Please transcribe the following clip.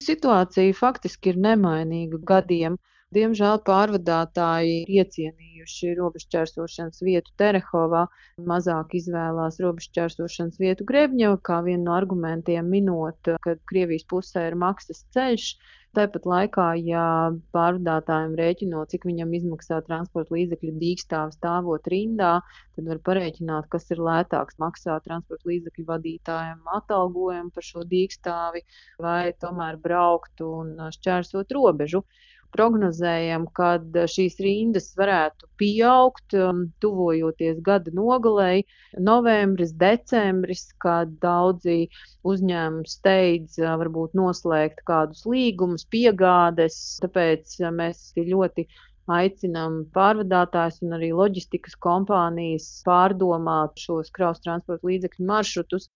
Situācija faktiski ir nemainīga gadiem. Diemžēl pārvadātāji ir iecienījuši robežšķērsošanas vietu Terehovā, mazāk izvēlās robežšķērsošanas vietu Grebņeva, kā vienu no argumentiem minot, ka Krievijas pusē ir maksas ceļš. Tāpat laikā, ja pārvadātājiem rēķinot, cik viņam izmaksā transporta līdzekļu dīkstāve stāvot rindā, tad var parēķināt, kas ir lētāks, maksāt transporta līdzekļu vadītājiem atalgojumu par šo dīkstāvi vai tomēr braukt un šķērsot robežu. Prognozējam, ka šīs rindas varētu pieaugt, tuvojoties gada nogalei, novembris, decembris, kad daudzi uzņēmumi steidz varbūt noslēgt kādus līgumus, piegādes. Tāpēc mēs ļoti aicinām pārvadātājus un arī loģistikas kompānijas pārdomāt šos kravas transporta līdzekļu maršrutus.